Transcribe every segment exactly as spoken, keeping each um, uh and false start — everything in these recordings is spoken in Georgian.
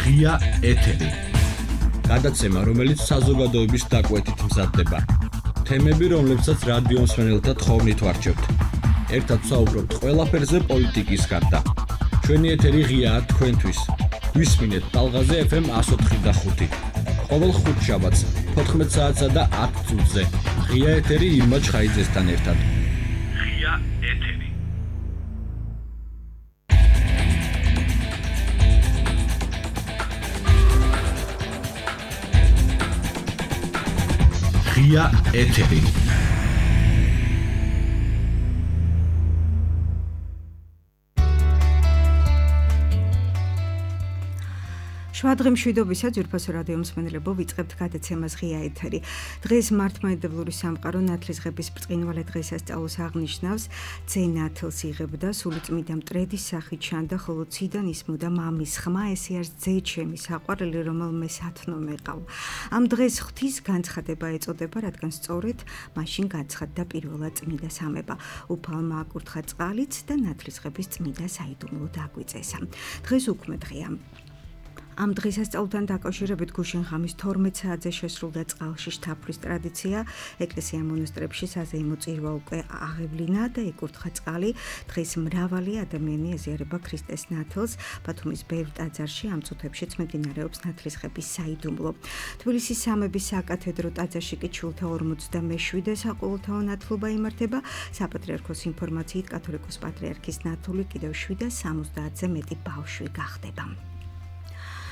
ღია ეთერი. გადაცემა, რომელიც საზოგადოების დაკვეთით მზადდება. თემები, რომლებსაც რადიო მსმენელთა თხოვნით ვარჩევთ. ერთად ვსაუბრობთ ყველაფერზე პოლიტიკის გარდა. ჩვენი ეთერი ღიაა თქვენთვის. გვისმინეთ ტალღაზე ეფ ემ εκατო ოთხი და ხუთი. ყოველ ხუთშაბათს თოთხმეტ საათსა და ათ წუთზე. ღია ეთერი ირმა ჩხაიძესთან ერთად. ღია ეთერი. ღია ეთერი. შვადღე მშვიდობისა ძვირფასო რადიო მსმენელებო, ვიწყებთ გადაცემას ღია ეთერი. დღეს მართლმადიდებლური სამყარო ნათლისღების ბრწყინვალე დღესასწაულს აღნიშნავს. ძე ნათლს იღებდა, სულიწმიდა მტრედის სახით ჩანდა, ხოლო ციდან ისმოდა მამის ხმა, ესე არის ძე ჩემი საყვარელი, რომელმე სათნო მეყავ. ამ დღეს ღვთის განცხადება ეწოდება, რადგან სწორედ მაშინ განცხადდა პირველად წმინდა სამება. უფალმა აკურთხა წყალიც და ნათლისღების წმინდა საიდუმლო დაგვიწესა. დღეს უქმე დღეა. ამ დღესასწაულთან დაკავშირებით გუშინ-ღამის თორმეტ საათზე შესრულდა წყალში შთაფრის ტრადიცია. ეკლესია მონასტრებში საზეიმო წირვა უკვე აღევლინა და იკურთხა წყალი. დღეს მრავალი ადამიანი ეზიარება ქრისტეს ნათლს. ბათუმის ბევრ ტაძარში ამ წუთებშიც მიმდინარეობს ნათლისღების საიდუმლო. თბილისის სამების საკათედრო ტაძარში კი ჩვილთა ორმოცდამეშვიდე საყოველთაო ნათლობა იმართება. საპატრიარქოს ინფორმაციით კათოლიკოს პატრიარქის ნათლული კიდევ შვიდას სამოცდაათზე მეტი ბავშვი გახდება.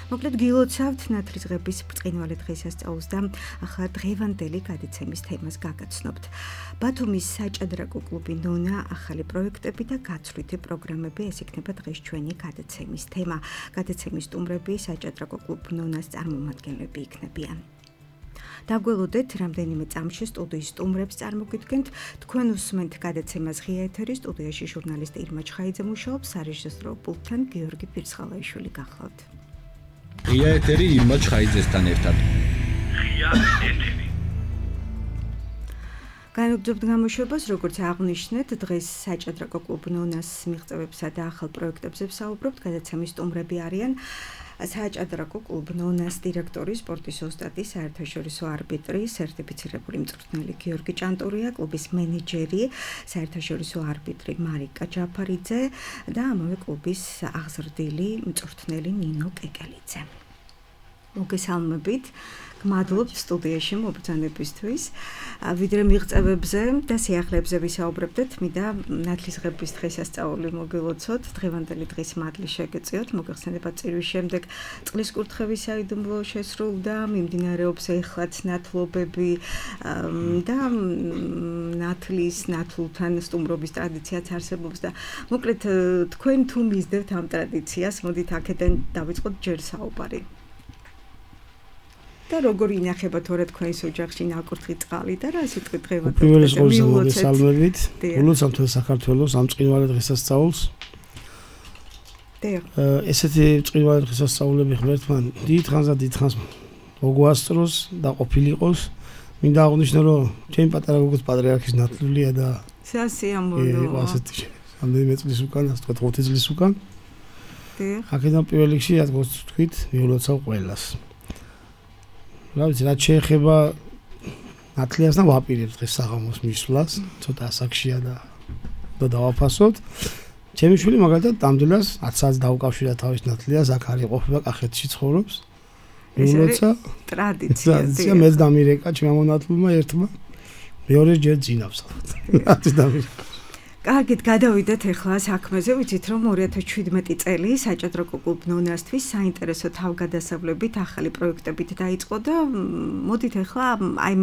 მოკლედ გილოცავთ ნათლისღების ბრწყინვალე დღესასწაულს და ახლა დღევანდელი გადაცემის თემას გაგაცნობთ. ბათუმის საჭადრაკო კლუბი ნონა, ახალი პროექტები და გაცვლითი პროგრამები, ეს იქნება დღეს ჩვენი გადაცემის თემა. გადაცემის სტუმრები საჭადრაკო კლუბ ნონას წარმომადგენლები იქნებიან. დაგველოდეთ რამდენიმე წამში სტუდიის სტუმრებს წარმოგიდგენთ. თქვენ უსმენთ გადაცემას ღია ეთერი, სტუდიაში ჟურნალისტი ირმა ჩხაიძე მუშაობს, სარეჟისორო პულტთან გიორგი ფირცხალაიშვილი გახლავთ. ღია ეთერი ირმა ჩხაიძესთან ერთად. ღია ეთერი. განვაგრძობთ გამოშვებას, როგორც აღნიშნეთ, დღეს საჭადრაკო კლუბ ნონას მიღწევებსა და ახალ პროექტებზე ვსაუბრობთ. გადაცემის სტუმრები არიან საჭადრაკო კლუბ ნონას დირექტორი, სპორტის ოსტატი, საერთაშორისო არბიტრი, სერტიფიცირებული მწვრთნელი გიორგი ჭანტურია, კლუბის მენეჯერი, საერთაშორისო არბიტრი მარიკა ჯაფარიძე და ამავე კლუბის აღზრდილი მწვრთნელი ნინო კეკელიძე. მოგესალმებით. გმადლობთ სტუდიაში მობრძანებისთვის. ვიდრე მიღწევებზე და სიახლეებზე ვისაუბრებდეთ, მინდა ნათლისღების დღესასწაული მოგილოცოთ. დღევანდელი დღის მადლი შეგეწიოთ. მოგეხსენება წირვის შემდეგ წყლის კურთხევის საიდუმლო შესრულდა, მიმდინარეობს ეხლაც ნათლობები და ნათლის ნათლულთან სტუმრობის ტრადიციაც არსებობს და მოკლედ თქვენ თუ მისდევთ ამ ტრადიციას, მოდით აქედან დავიწყოთ ჯერ საუბარი. და როგორ ინახება თორე თქვენს ოჯახში ნაკურთხი წყალი და რა სიტყვით დღევანდელი პირველი სკოლის მოგესალმებით. ულოცავთ საქართველოს ამ წმინვალე დღესასწაულს. ესეთი წმინვალე დღესასწაულები ღმერთთან დიდ ხანს და დიდ ხანს მოგვასწროს და ყოფილიყოს. მინდა აღვნიშნო, რომ ჩემი პატარა გოგოს პატრიარქის ნათლულია და სასიამოვნოა. ასეთი რამდენიმე წლის უკან, ასე ვთქვათ, ოცი წლის უკან. აქედან პირველ რიგში, რადგან თქვით, მიულოცავ ყველას. რა ვიცი, რაც შეეხება ნათლიას და ვაპირებ დღეს საღამოს მისვლას, ცოტა ასაკშია და და დავაფასოთ. ჩემი შვილი მაგალითად ამდენას ათ საათს დაუკავშირა თავის ნათლიას, აქ არის ყოფება, კახეთში ცხოვრობს. მიულოცა ტრადიცია. ტრადიცია მეც დამირეკა ჩემმა მონათლულმა ერთმა. მეორე ჯერ ძინავს. ათი დამირეკა. კარგით, გადავიდეთ ახლა საქმეზე. ვიცით, რომ ორი ათას შვიდმეტი წელი საჭადრაკო კლუბ ნონასთვის საინტერესო თავგადასავლებით, ახალი პროექტებით დაიწყო და მოდით ახლა აი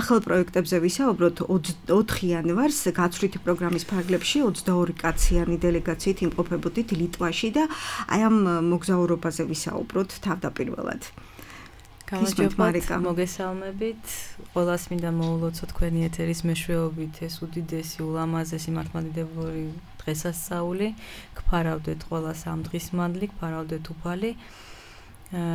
ახალ პროექტებზე ვისაუბროთ. ოთხი იანვარს გაცვლითი პროგრამის ფარგლებში ოცდაორი კაციანი დელეგაციით იმყოფებოდით ლიტვაში და აი ამ მოგზაურობაზე ვისაუბროთ თავდაპირველად. გამარჯობა, მოგესალმებით. ყველას მინდა მოულოცო თქვენი ეთერის მეშვეობით ეს უდიდესი ულამაზესი მართლმადიდებლური დღესასწაული. გფარავდეთ ყველას ამ დღის მადლი, გფარავდეთ უფალი.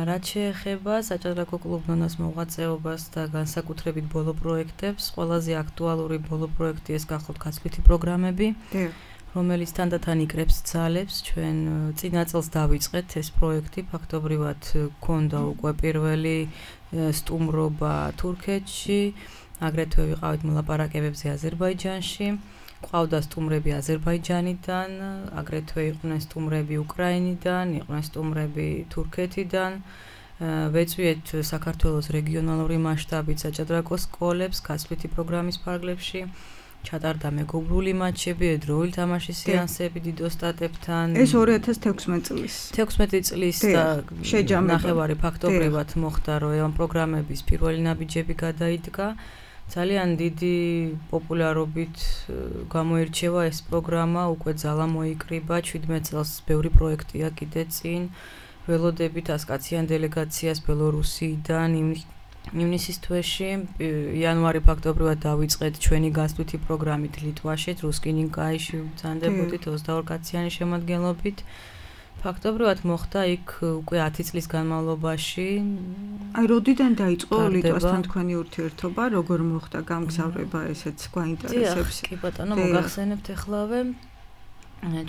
რაც შეეხება საჭადრაკო კლუბ ნონას მოღვაწეობას და განსაკუთრებით ბოლო პროექტებს, ყველაზე აქტუალური ბოლო პროექტი ეს გახლავთ გაცვლითი პროგრამები. რომელიც თანდათან იკრებს ძალებს. ჩვენ წინა წელს დავიწყეთ ეს პროექტი, ფაქტობრივად გქონდა უკვე პირველი სტუმრობა თურქეთში, აგრეთვე ვიყავით მოლაპარაკებებზე აზერბაიჯანში. ყავდა სტუმრები აზერბაიჯანიდან, აგრეთვე იყვნენ სტუმრები უკრაინიდან, იყვნენ სტუმრები თურქეთიდან. ვეწვიეთ საქართველოს რეგიონალური მასშტაბით საჭადრაკო სკოლებს, გასვლითი პროგრამის ფარგლებში. ჩატარდა მეგობრული მატჩები, ეროვნული თამაშის სეანსები დიდ ოსტატებთან. ეს ორი ათას თექვსმეტი წლის. თექვსმეტი წლის და ნახევარი ფაქტობრივად მოხდა, რომ ამ პროგრამების პირველი ნაბიჯები გადაიდგა. ძალიან დიდი პოპულარობით გამოირჩევა ეს პროგრამა, უკვე ძალა მოიკრიბა, შვიდმეტ წელს ბევრი პროექტია კიდე წინ. ველოდებით ასკაციან დელეგაციას ბელორუსიიდან ივნისის თვეში, იანვარი ფაქტობრივად დავიწყეთ ჩვენი გასვლითი პროგრამით ლიტვაში, რუსკინინკაიში ვბრძანდებოდით ოცდაორი კაციანი შემადგენლობით. ფაქტობრივად მოხდა იქ უკვე ათი წლის განმავლობაში. აი, როდიდან დაიწყო ლიტვასთან თქვენი ურთიერთობა, როგორ მოხდა გამგზავრება, ესეც გვაინტერესებს. კი ბატონო, მოგახსენებთ ახლავე.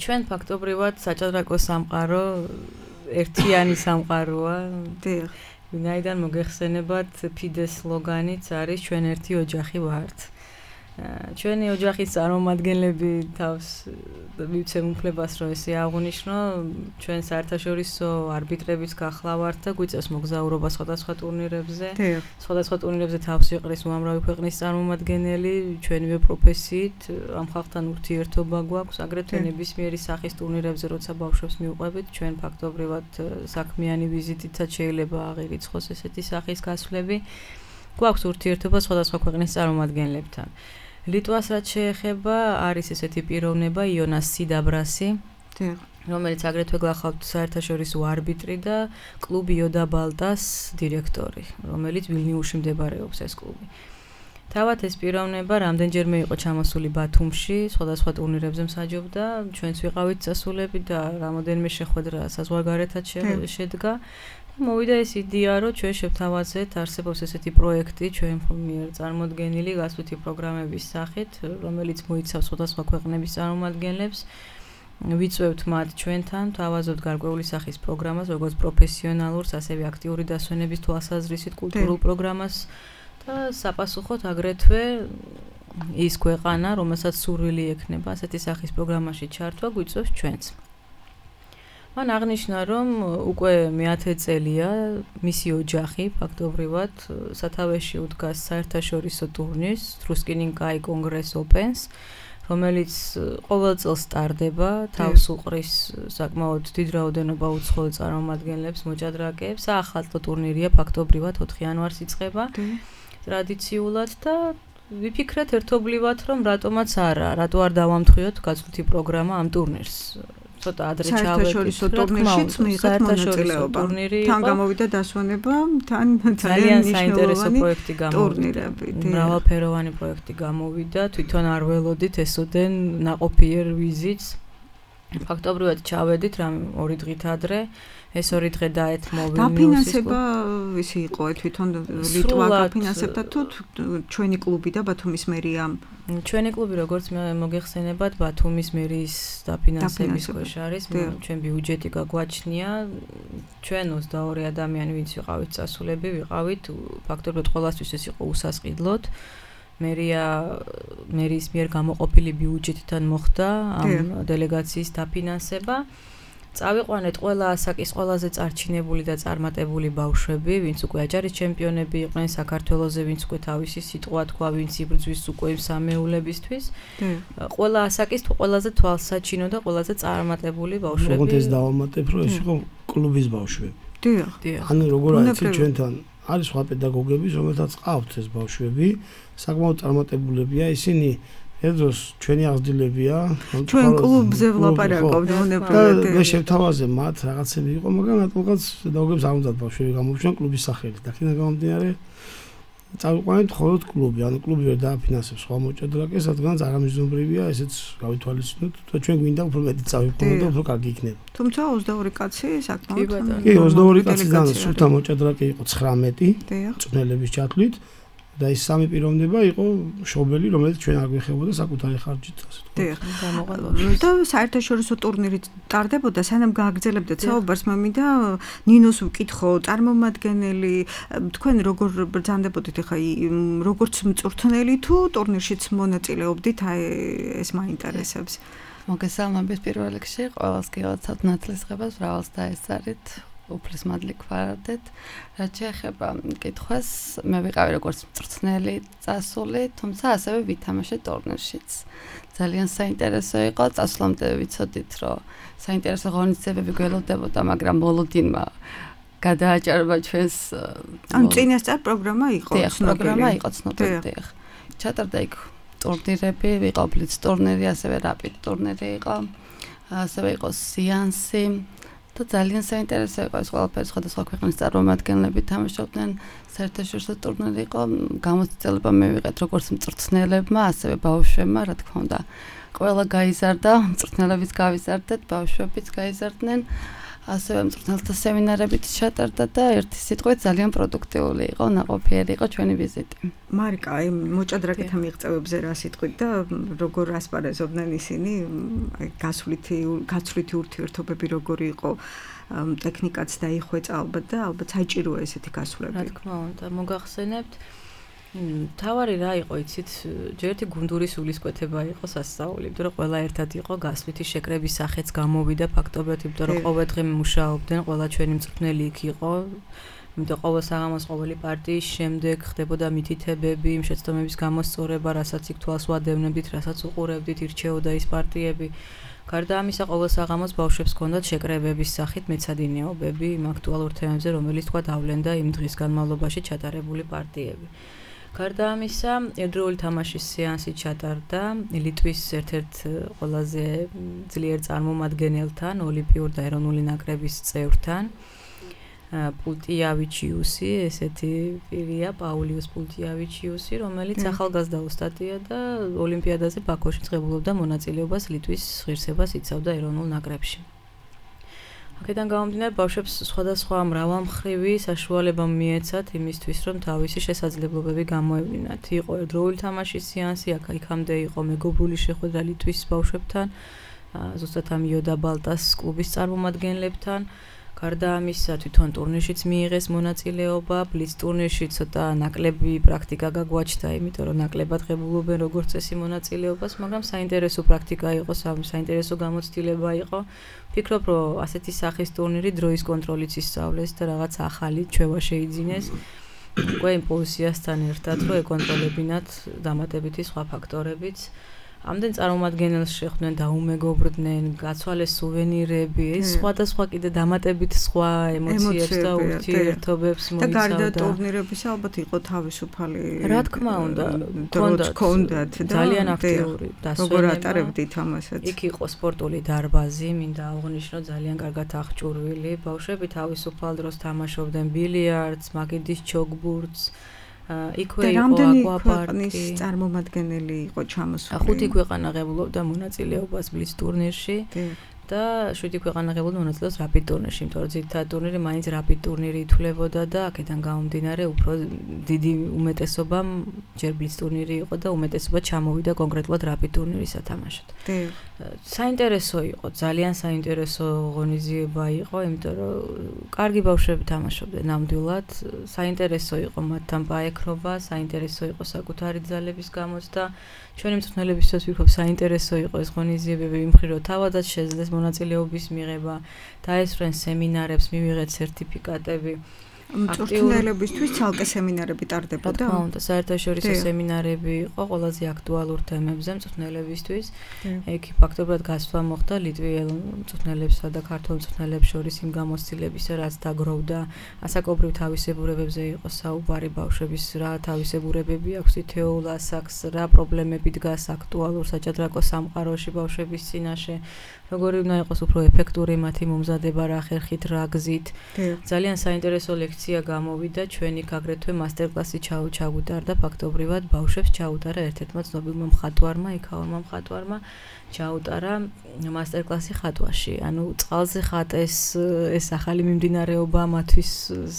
ჩვენ ფაქტობრივად საჭადრაკო სამყარო ერთიანი სამყაროა. დიახ. ვინაიდან მოგეხსენებათ ფიდეს სლოგანიც არის ჩვენ ერთი ოჯახი ვართ. ჩვენი ოჯახის წარმომადგენლები თავს მივცემ უფლებას, რომ ესე აღვნიშნო, ჩვენ საერთაშორისო არბიტრების გახლა ვართ და გვიწევს მოგზაურობა სხვადასხვა ტურნირებზე. სხვადასხვა ტურნირებზე თავს იყრის უამრავი ქვეყნის წარმომადგენელი, ჩვენივე პროფესიით ამ ხალხთან ურთიერთობა გვაქვს, აგრეთვე ნებისმიერი სახის ტურნირებზე, როცა ბავშვებს მივყვებით, ჩვენ ფაქტობრივად საქმიანი ვიზიტითაც შეიძლება აღირიცხოს ესეთი სახის გასვლები. გვაქვს ურთიერთობა სხვადასხვა ქვეყნის წარმომადგენლებთან. ლიტვას რაც შეეხება, არის ესეთი პიროვნება იონას სიდაბრასი, რომელიც აგრეთვე გახლავთ საერთაშორისო არბიტრი და კლუბ იოდა ბალტას დირექტორი, რომელიც ვილნიუსში მდებარეობს ეს კლუბი. თავად ეს პიროვნება რამდენჯერმე იყო ჩამოსული ბათუმში, სხვადასხვა ტურნირებზე მსაჯობდა, ჩვენც ვიყავით წასულები და რამოდენიმე შეხვედრა საზღვარგარეთად შედგა. მოვიდა ეს იდეა, რომ ჩვენ შევთავაზეთ, არსებობს ესეთი პროექტი ჩვენ მიერ წარმოდგენილი გასვლითი პროგრამების სახით, რომელიც მოიცავს სხვადასხვა ქვეყნების წარმომადგენლებს. ვიწვევთ მათ ჩვენთან, თავაზობთ გარკვეული სახის პროგრამას, როგორც პროფესიონალურს, ასევე აქტიური დასვენების თვალსაზრისით კულტურულ პროგრამას და საპასუხოდ აგრეთვე ის ქვეყანა, რომელსაც სურვილი ექნება ასეთი სახის პროგრამაში ჩართვა, გვიწევს ჩვენც. მან აღნიშნა, რომ უკვე მეათე წელია მისი ოჯახი ფაქტობრივად სათავეში უდგას საერთაშორისო ტურნირს რუსკინინკაი კონგრეს ოპენს, რომელიც ყოველ წელს სტარდება, თავს უყრის საკმაოდ დიდ რაოდენობა უცხოელ წარმომადგენლებს, მოჭადრაკეებს. საახალწლო ტურნირია ფაქტობრივად ოთხი იანვარს იწყება ტრადიციულად და ვიფიქრეთ ერთობლივად, რომ რატომაც არა, რატო არ დავამთხვიოთ გასვლითი პროგრამა ამ ტურნირს. ცოტა ადრე ჩავედით. საერთაშორისო ტურნირშიც მიიღეთ მონაწილეობა. თან გამოვიდა დასვენება, თან ძალიან საინტერესო პროექტი გამოვიდა. მრავალფეროვანი პროექტი გამოვიდა, თვითონ არ ველოდით ესოდენ ნაყოფიერ ვიზიტს. ფაქტობრივად ჩავედით რამ ორი დღით ადრე. ეს ორი დღე დაეთმო ვილნიუსის. დაფინანსება ისი იყო თვითონ ლიტვა დაფინანსებდა თუ ჩვენი კლუბი და ბათუმის მერია? ჩვენი კლუბი როგორც მოგეხსენებათ, ბათუმის მერიის დაფინანსების ქვეშ არის, ჩვენ ბიუჯეტი გაგვაჩნია. ჩვენ ოცდაორი ადამიანი ვინც ვიყავით წასულები, ვიყავით ფაქტობრივად ყველასთვის ეს იყო უსასყიდლოდ. მერია მერიის მიერ გამოყოფილი ბიუჯეტიდან მოხდა ამ დელეგაციის დაფინანსება. წავიყვანეთ ყველა ასაკის ყველაზე წარჩინებული და წარმატებული ბავშვები, ვინც უკვე აჯარის ჩემპიონები იყვნენ საქართველოზე, ვინც უკვე თავისი სიტყვა თქვა, ვინც იბრძვის უკვე იმ სამეულებისთვის. ყველა ასაკის ყველაზე თვალსაჩინო და ყველაზე წარმატებული ბავშვები. როგორც ეს დავამატებ, რომ ეს იყო კლუბის ბავშვები. დიახ. ანუ როგორ არის ჩვენთან არის სხვა პედაგოგები, რომელთაც ყავთ ეს ბავშვები, საკმაოდ წარმატებულებია, ისინი ეს ჩვენი აღზრდილებია. ჩვენ კლუბზე ვლაპარაკობთ უნებრივად. მე შევთავაზე მათ რაღაცები იყო, მაგრამ რატომღაც პედაგოგებს არ უნდათ ბავშვები გამოვჩნდნენ კლუბის სახელით. და კიდე გამომდინარე წავიყვანეთ მხოლოდ კლუბი, ანუ კლუბი ვერ დააფინანსებს სხვა მოჭადრაკეს, რადგანაც არამიზნობრივია, ესეც გავითვალისწინოთ და ჩვენ გვინდა უფრო მეტი წავიყვანოთ და უფრო კარგი იქნება. თუმცა ოცდაორი კაცი საკმაოდ კი, ოცდაორი კაციდან სულთა მოჭადრაკე იყო ცხრამეტი წვნელების ჩათვლით. და ის სამი პიროვნება იყო მშობელი, რომელიც ჩვენ არ გვეხებოდა საკუთარი ხარჯით, ასე ვთქვათ. და საერთაშორისო ტურნირი ტარდებოდა, სანამ გააგრძელებდეთ საუბარს, მე მინდა ნინოს ვკითხო, წარმომადგენელი, თქვენ როგორ ბრძანდებოდით ახლა როგორც მწვრთნელი თუ ტურნირშიც მონაწილეობდით, აი ეს მაინტერესებს. მოგესალმებით პირველ რიგში, ყველას გილოცავთ ნათლისღებას, ბრავალს დაესწარით. უფლის მადლი გვხარდეთ. რაც შეეხება კითხვას, მე ვიყავი როგორც მწვრთნელი წასული, თუმცა ასევე ვითამაშე ტურნირშიც. ძალიან საინტერესო იყო, წასვლამდე ვიცოდით, რომ საინტერესო ღონისძიებები გველოდებოდა, მაგრამ მოლოდინმა გადააჭარბა ჩვენს ან წინასწარ პროგრამა იყო, პროგრამა იყო ცნობილი. ჩატარდა იქ ტურნირები, იყო ბლიც ტურნირი, ასევე რაპიდ ტურნირი იყო, ასევე იყო სეანსი. და ძალიან საინტერესო იყო ეს ყველაფერი, სხვადასხვა ქვეყნის წარმომადგენლები თამაშობდნენ, საერთაშორისო ტურნირი იყო, გამოცდილება მივიღეთ როგორც მწვრთნელებმა, ასევე ბავშვებმა, რა თქმა უნდა. ყველა გაიზარდა, მწვრთნელებიც გავიზარდეთ, ბავშვებიც გაიზარდნენ, ასევე მწვრთნელთა სემინარებიც ჩატარდა და ერთი სიტყვით ძალიან პროდუქტიული იყო, ნაყოფიერი იყო ჩვენი ვიზიტი. მარიკა, აი მოჭადრაკეთა მიღწევებზე რა სიტყვით და როგორ ასპარეზობდნენ ისინი, აი გასვლითი გაცვლითი ურთიერთობები როგორი იყო, ტექნიკაც დაიხვეწა ალბათ და ალბათ საჭიროა ესეთი გასვლები. რა თქმა უნდა, მოგახსენებთ თავარი რა იყო, იცით, ჯერ ერთი გუნდური სულისკვეთება იყო სასწაული, იმიტომ რომ ყველა ერთად იყო გასვლითი შეკრების სახეც გამოვიდა ფაქტობრივად, იმიტომ რომ ყოველდღე მუშაობდნენ, ყველა ჩვენი მწვრთნელი იქ იყო. იმიტომ ყოველ საღამოს ყოველი პარტიის შემდეგ ხდებოდა მითითებები, იმ შეცდომების გამოსწორება, რასაც იქ თვალს ვადევნებდით, რასაც უყურებდით, ირჩეოდა ის პარტიები. გარდა ამისა, ყოველ საღამოს ბავშვებს ჰქონდათ შეკრებების სახით მეცადინეობები იმ აქტუალურ თემებზე, რომელიც თქვა დავლენდა იმ დღის განმავლობაში ჩატარებული პარტიები. გარდა ამისა, ერთდროული თამაშის სეანსი ჩატარდა ლიტვის ერთ-ერთ ყველაზე ძლიერ წარმომადგენელთან, ოლიმპიური და ეროვნული ნაკრების წევრთან. პულტიავიჩიუსი, ესეთი პირია, პაულიუს პულტიავიჩიუსი, რომელიც ახალგაზრდა ოსტატია და ოლიმპიადაზე ბაქოში წყებულობდა მონაწილეობას, ლიტვის ღირსებას იცავდა ეროვნულ ნაკრებში. აქედან გამომდინარე, ბავშვებს სხვადასხვა მრავალმხრივი საშუალება მიეცათ იმისთვის, რომ თავისი შესაძლებლობები გამოევლინათ. იყო ერთდროული თამაშის სეანსი, აქ-იქამდე იყო მეგობრული შეხვედრა ლიტვის ბავშვებთან, ზუსტად ამ იოდა ბალტას კლუბის წარმომადგენლებთან. გარდა ამისა, თვითონ ტურნირშიც მიიღეს მონაწილეობა, ბლიც ტურნირში ცოტა ნაკლები პრაქტიკა გაგვაჩნდა, იმიტომ რომ ნაკლებად ღებულობენ როგორც წესი მონაწილეობას, მაგრამ საინტერესო პრაქტიკა იყო, საინტერესო გამოცდილება იყო. ვფიქრობ, რომ ასეთი სახის ტურნირი დროის კონტროლიც ისწავლეს და რაღაც ახალი ჩვევა შეიძინეს. უკვე იმპულსიასთან ერთად, რომ ეკონტროლებინათ დამატებითი სხვა ფაქტორებიც. ამდენ წარმომადგენელს შეხვდნენ, დაუმეგობრდნენ, გაცვალეს სუვენირები, ეს სხვადასხვა კიდე დამატებით სხვა ემოციებს და ურთიერთობებს მოიცავდა. და გარდა ტურნირებისა ალბათ იყო თავისუფალი. რა თქმა უნდა, ჰქონდათ ძალიან აქტიური დასვენება. როგორ ატარებდით ამასაც? იქ იყო სპორტული დარბაზი, მინდა აღვნიშნო, ძალიან კარგად აღჭურვილი. ბავშვები თავისუფალ დროს თამაშობდნენ ბილიარდს, მაგიდის ჩოგბურთს. იქვე იყო აკვაპარკი. წარმომადგენელი იყო ჩამოსული. ხუთი ქვეყანა ღებულობდა მონაწილეობას ბლიც ტურნირში და შვიდი ქვეყანა ღებულობდა მონაწილეობას რაპიდ ტურნირში, იმიტომ რომ ძირითადად ტურნირი მაინც რაპიდ ტურნირი ითვლებოდა და აქედან გამომდინარე უფრო დიდი უმეტესობა ჯერ ბლიც ტურნირი იყო და უმეტესობა ჩამოვიდა კონკრეტულად რაპიდ ტურნირის სათამაშოდ. საინტერესო იყო, ძალიან საინტერესო ღონისძიება იყო, იმიტომ რომ კარგი ბავშვები თამაშობდნენ ნამდვილად, საინტერესო იყო მათთან პაექრობა, საინტერესო იყო საკუთარი ძალების გამოცდა. ჩვენი მწვრთნელებისთვის ვფიქრობ, საინტერესო იყო ეს ღონისძიებები იმ მხრივ, რომ თავადაც შეძლეს მონაწილეობის მიღება, დაესწრნენ სემინარებს, მივიღეთ სერტიფიკატები. მწვრთნელებისთვის ცალკე სემინარები ტარდებოდა? რა თქმა უნდა, საერთაშორისო სემინარები იყო ყველაზე აქტუალურ თემებზე მწვრთნელებისთვის. იქ ფაქტობრივად გასვლა მოხდა ლიტვიელ მწვრთნელებსა და ქართველ მწვრთნელებს შორის იმ გამოცდილებისა, რაც დაგროვდა. ასაკობრივ თავისებურებებზე იყო საუბარი, ბავშვების რა თავისებურებები აქვს თითოეულ ასაკს, რა პრობლემები დგას აქტუალურ საჭადრაკო სამყაროში ბავშვების წინაშე. როგორი უნდა იყოს უფრო ეფექტური მათი მომზადება, რა ხერხით, რა გზით. ძალიან საინტერესო ლექციები სექცია გამოვიდა, ჩვენ იქ აგრეთვე მასტერკლასი ჩაგვიტარდა, ფაქტობრივად ბავშვებს ჩაუტარა ერთ-ერთმა ცნობილმა მხატვარმა, იქაურმა მხატვარმა ჩაუტარა მასტერკლასი ხატვაში. ანუ წყალზე ხატეს ეს ახალი მიმდინარეობა მათთვის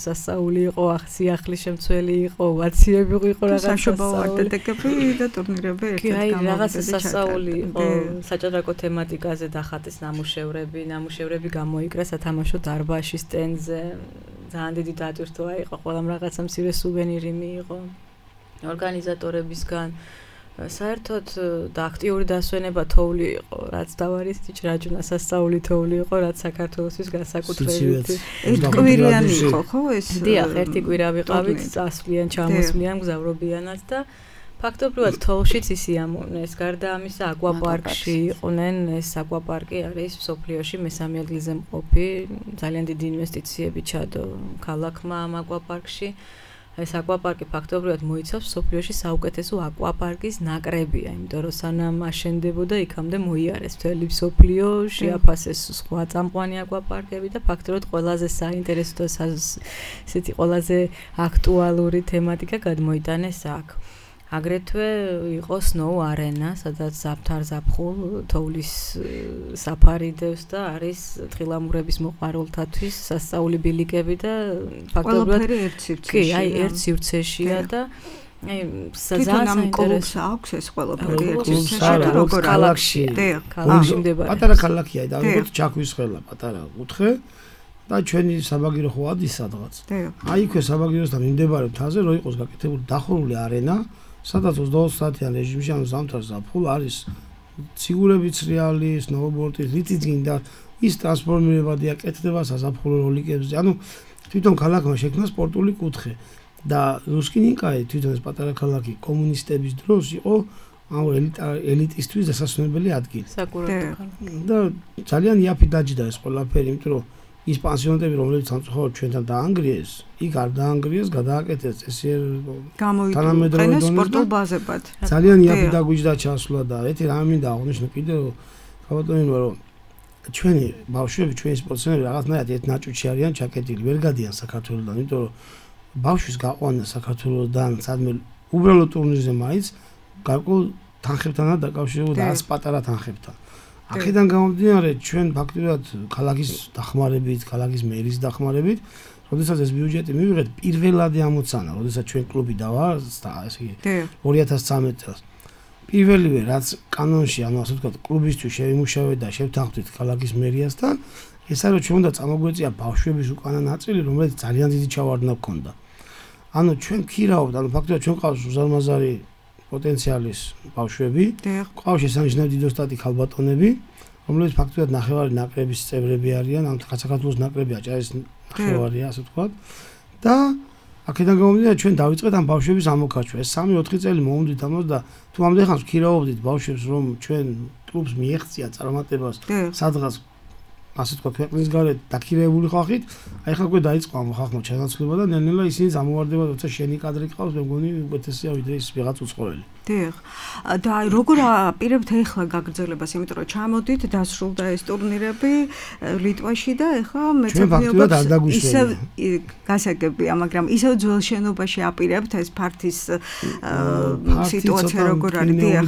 სასაული იყო, სიახლის შემცველი იყო, ვაციები იყო რაღაც საშობაო არტეტეკები და ტურნირები ერთ-ერთ გამოვიდა. კი, რაღაც სასაული იყო, საჭადრაკო თემატიკაზე დახატეს ნამუშევრები, ნამუშევრები გამოიკრა სათამაშო დარბაზში სტენდზე. ძალიან დიდი დატვირთვა იყო, ყველამ რაღაცა მცირე სუვენირი მიიღო ორგანიზატორებისგან. საერთოდ და აქტიური დასვენება თოვლი იყო, რაც დავარის ჭრაჭუნა სასწაული თოვლი იყო, რაც საქართველოსთვის განსაკუთრებით ერთკვირიანი იყო, ხო ეს? დიახ, ერთი კვირა ვიყავით, წასვლიან, ჩამოსვლიან, გზავრობიანად და ფაქტობრივად თოვლშიც ისიამოვნეს. გარდა ამისა, აკვაპარკში იყვნენ, ეს აკვაპარკი არის მსოფლიოში მესამე ადგილზე მყოფი, ძალიან დიდი ინვესტიციები ჩადო ქალაქმა ამ აკვაპარკში. ეს აკვაპარკი ფაქტობრივად მოიცავს მსოფლიოში საუკეთესო აკვაპარკის ნაკრებია, იმიტომ რომ სანამ აშენდებოდა, იქამდე მოიარეს მთელი მსოფლიო, შეაფასეს სხვა წამყვანი აკვაპარკები და ფაქტობრივად ყველაზე საინტერესო და ესეთი ყველაზე აქტუალური თემატიკა გადმოიტანეს აქ. აგრეთვე იყო Snow Arena, სადაც ზაფთარ ზაფხულ თოვლის საფარი დევს და არის თხილამურების მოყვარულთათვის სასწაული ბილიკები და ფაქტობრივად ერთ სივრცეში. კი, აი ერთ სივრცეშია და აი ძალიან საინტერესო აქვს ეს ყველაფერი ერთ სივრცეში როგორ ქალაქში. ქალაქში მდებარეობს. პატარა ქალაქია და როგორც ჩაქვის ხელა პატარა კუთხე და ჩვენი საბაგირო ხო ადის სადღაც. აი იქვე საბაგიროსთან მიმდებარე მთაზე რო იყოს გაკეთებული დახურული არენა, სადაც ოცდაოთხ საათიან რეჟიმში ანუ ზამთარ ზაფხულ არის ციგურებიც რეალი, სნოუბორდი, რითიც გინდა ის ტრანსფორმირებადია, კეთდება საზაფხულო როლიკებზე. ანუ თვითონ ქალაქმა შექმნა სპორტული კუთხე და რუსკინინკაი თვითონ ეს პატარა ქალაქი კომუნისტების დროს იყო ამ ელიტისტვის დასასვენებელი ადგილი. საკურორტო ქალაქი. და ძალიან იაფი დაჯდა ეს ყველაფერი, იმიტომ რომ ის პანსიონატები, რომლებიც სამწუხაროდ ჩვენთან დაანგრიეს, იქ არ დაანგრიეს, გადააკეთეს წესიერ თანამედროვე სპორტულ ბაზებად. ძალიან იაფი დაგვიჯდა ჩასვლა და ერთი რამე მინდა აღვნიშნო კიდევ, ხავატონინო, რომ ჩვენი ბავშვები, ჩვენი სპორტსმენები რაღაცნაირად ერთ ნაჭუჭი არიან ჩაკეტილი, ვერ გადიან საქართველოსდან, იმიტომ რომ ბავშვის გაყვანა საქართველოსდან სადმე უბრალო ტურნირზე მაინც გარკვეულ თანხებთანაა დაკავშირებული და არც პატარა თანხებთან. აქედან გამომდინარე ჩვენ ფაქტობრივად ქალაქის დახმარებით, ქალაქის მერის დახმარებით, როდესაც ეს ბიუჯეტი მივიღეთ, პირველადი ამოცანა, როდესაც ჩვენ კლუბი დავარსდა, ესე იგი ორი ათას ცხრამეტ წელს. პირველივე რაც კანონში, ანუ ასე ვთქვათ, კლუბისთვის შევიმუშავეთ და შევთანხმდით ქალაქის მერიასთან, ეს არის რომ ჩვენ უნდა წამოგვეწია ბავშვების უკანა ნაწილი, რომელიც ძალიან დიდი ჩავარდნა ჰქონდა. ანუ ჩვენ ქირავთ, ანუ ფაქტობრივად ჩვენ ყავს უზარმაზარი პოტენციალის ბავშვები, ყავს შესანიშნავი დიდოსტატი ქალბატონები, რომლებიც ფაქტობრივად ნახევარი ნაკრების წევრები არიან, ამ საქართველოს ნაკრები აჭარის ნახევარია, ასე ვთქვათ. და აქედან გამომდინარე ჩვენ დავიწყეთ ამ ბავშვების ამოქარჩვა. ეს სამი ოთხი წელი მოვუძით ამას და თუ ამდენ ხანს ქირავობდით ბავშვებს, რომ ჩვენ კლუბს მიეღწია წარმატებას სადღაც ასე ვთქვათ ქვეყნის გარეთ დაქირავებული ხალხით, აი ხა უკვე დაიწყო ამ ხალხმა ჩანაცვლება და ნელ-ნელა ისინი ამოვარდება, როცა შენი კადრი ყავს, მე მგონი უკეთესია ვიდრე ის ვიღაც უცხოელი. დიახ. და როგორ აპირებთ ახლა გაგრძელებას, იმიტომ რომ ჩამოდით, დასრულდა ეს ტურნირები ლიტვაში და ახლა მეცნიერებს ისევ გასაგებია, მაგრამ ისევ ძველ შენობაში აპირებთ ეს ფართის სიტუაცია როგორ არის? დიახ.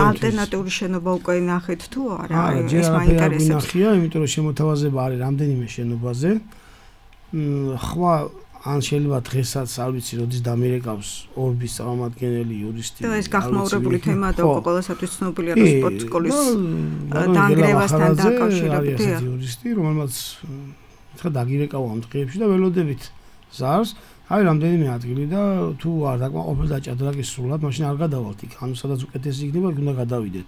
ალტერნატიული შენობა უკვე ნახეთ თუ არა? ეს მაინტერესებს. ნახია, იმიტომ რომ შემოთავაზება არის რამდენიმე შენობაზე. ხვა ან შეიძლება დღესაც არ ვიცი როდის დამირეკავს ორბის წარმომადგენელი იურისტი. და ეს გახმაურებული თემაა და უკვე ყველასათვის ცნობილია რომ სპორტ სკოლის დაანგრევასთან დაკავშირებით იურისტი, რომელმაც ხა დაგირეკავა ამ დღეებში და ველოდებით ზარს. აი რამდენიმე ადგილი და თუ არ დაკმაყოფილ დაჭადრაკის სრულად, მაშინ არ გადავალთ იქ. ანუ სადაც უკეთესი იქნება, იქ უნდა გადავიდეთ.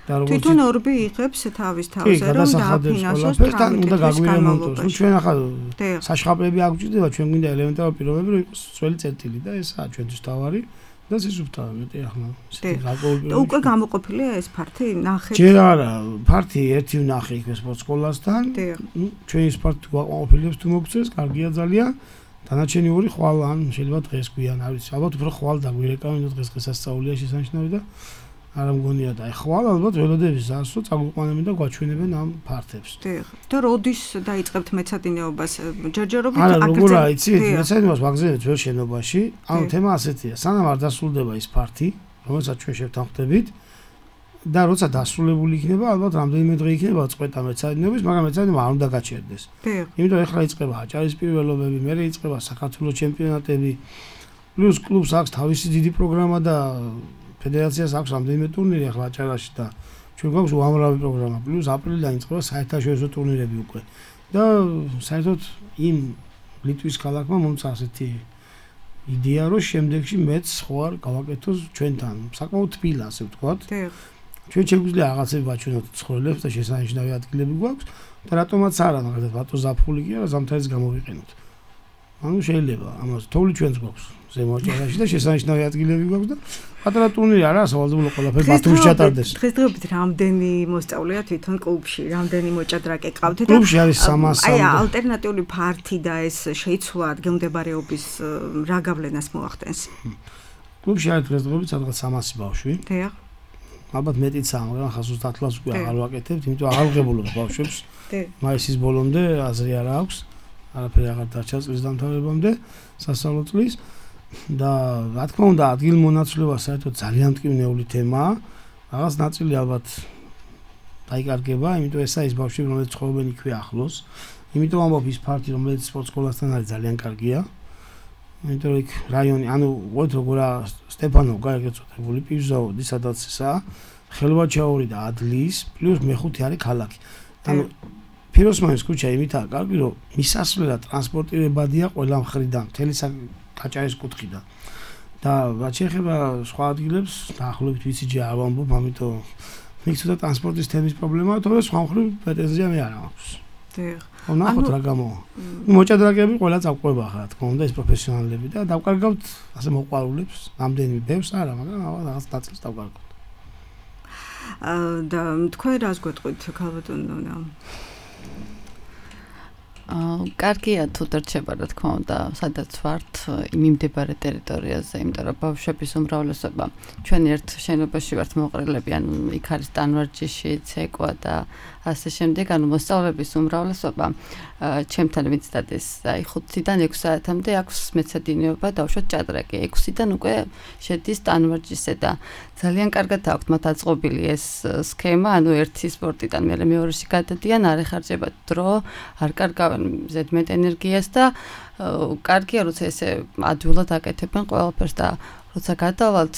და როგორც თვითონ ორბი იღებს თავის თავზე რომ დააფინანსოს თან უნდა გაგვირემონტოს. ნუ ჩვენ ახლა საშხაპრები აგვჭირდება, ჩვენ გვინდა ელემენტარული პირობები, რომ იყოს სველი წერტილი და ესაა ჩვენთვის თავარი და სისუფთავე მეტი ახლა. და უკვე გამოყოფილია ეს ფართი, ნახეთ. ჯერ არა, ფართი ერთი ვნახე იქ სპორტ სკოლასთან. ნუ ჩვენი ფართი გვაყოფილებს თუ მოგწეს, კარგია ძალიან. დანარჩენი ორი ხვალ ან შეიძლება დღეს გვიან, არ ვიცი, ალბათ უფრო ხვალ დაგვირეკავენ, დღეს დღესასწაულია შესანიშნავი და არა მგონია და ხვალ ალბათ ველოდების ზარს რომ წაგვიყვანებენ და გვაჩვენებენ ამ ფართებს. დიახ. და როდის დაიწყებთ მეცადინეობას? ჯერჯერობით აქ არა, როგორ აიცით, მეცადინეობას ვაგზავნებთ ვერ შენობაში. ანუ თემა ასეთია, სანამ არ დასრულდება ის ფართი, რომელსაც ჩვენ შევთანხმდებით და როცა დასრულებული იქნება, ალბათ რამდენიმე დღე იქნება წყვეტა მეცადინეობის, მაგრამ მეცადინეობა არ უნდა გაჩერდეს. დიახ. იმიტომ ეხლა იწყება აჭარის პირველობები, მერე იწყება საქართველოს ჩემპიონატები, პლუს კლუბს აქვს თავისი დიდი პროგრამა და ფედერაციას აქვს რამდენიმე ტურნირი ახლა აჭარაში და ჩვენ გვაქვს უამრავი პროგრამა, პლუს აპრილიდან იწყება საერთაშორისო ტურნირები უკვე. და საერთოდ იმ ლიტვის ქალაქმა მომცა ასეთი იდეა, რომ შემდეგში მეც ხო არ გავაკეთოს ჩვენთან. საკმაოდ თბილა, ასე ვთქვათ. დიახ. ჩვენ შეგვიძლია რაღაცები ვაჩვენოთ ცხოვრებს და შესანიშნავი ადგილები გვაქვს და რატომაც არა, მაგალითად ბატონ ზაფხული კი არა, ზამთარიც გამოვიყენოთ. ანუ შეიძლება ამას თოვლი ჩვენც გვაქვს ზემო აჭარაში და შესანიშნავი ადგილები გვაქვს და პატარა ტურნირი არა, სავალდებულო ყველაფერი ბათუმში ჩატარდეს. დღესდღეობით რამდენი მოსწავლეა თვითონ კლუბში, რამდენი მოჭადრაკე ყავთ და კლუბში არის სამასი. აი ალტერნატიული ფართი და ეს შეიცვლა ადგილმდებარეობის რა გავლენას მოახდენს? კლუბში არის დღესდღეობით სადღაც სამასი ბავშვი. დიახ. ალბათ მეტიცაა, მაგრამ ხას ოცდაათ წელს უკვე აღარ ვაკეთებთ, იმიტომ აღარ ვღებულობ ბავშვებს. მაისის ბოლომდე აზრი არა აქვს. არაფერი აღარ დარჩა წლის დამთავრებამდე სასწავლო წლის და რა თქმა უნდა ადგილმონაცვლეობა საერთოდ ძალიან მტკივნეული თემაა. რაღაც ნაწილი ალბათ დაიკარგება, იმიტომ ესაა ის ბავშვები, რომლებიც ცხოვრობენ იქვე ახლოს. იმიტომ ამბობ ის ფართი, რომელიც სპორტ სკოლასთან არის ძალიან კარგია. იმიტომ რომ იქ რაიონი, ანუ ვთქვათ როგორა სტეფანოვ გაიგეწოდებული პიჟაოდი, სადაც ესაა, ხელვაჩაური და ადლის, პლუს მეხუთე არის ქალაქი. ანუ ფიროსმანის ქუჩა იმითაა კარგი, რომ მისასვლელად ტრანსპორტირებადია ყველა მხრიდან, მთელი აჭარის კუთხიდან. და რაც შეეხება სხვა ადგილებს, დაახლოებით ვიცი ჯერ არ ვამბობ, ამიტომ მის ცოტა ტრანსპორტის თემის პრობლემაა, თორე სხვა მხრივ პრეტენზია მე არ აქვს. დიახ. ნახოთ რა გამოვა. მოჭადრაკეები ყველა წავყვება ხა, რა თქმა უნდა, ეს პროფესიონალები და დავკარგავთ ასე მოყვარულებს, რამდენი ბევრს არა, მაგრამ რაღაც ნაწილს დავკარგავთ. და თქვენ რას გვეტყვით, ქალბატონო? აა კარგია თუ დარჩება რა თქმა უნდა სადაც ვართ იმიმდებარე ტერიტორიაზე, იმიტომ რომ ბავშვების უმრავლესობა ჩვენ ერთ შენობაში ვართ მოყრილები, ანუ იქ არის ტანვარჯიში, ცეკვა და ასე შემდეგ, ანუ მოსწავლეების უმრავლესობა ჩემთან ვიცდადეს, აი ხუთიდან ექვს საათამდე აქვს მეცადინეობა, დავუშვათ ჭადრაკი, ექვსიდან უკვე შედის ტანვარჯიშზე და ძალიან კარგად აქვთ მათ აწყობილი ეს სქემა, ანუ ერთი სპორტიდან მერე მეორეში გადადიან, არ ეხარჯება დრო, არ კარგავენ ზედმეტ ენერგიას და კარგია, როცა ესე ადვილად აკეთებენ ყველაფერს და როცა გადავალთ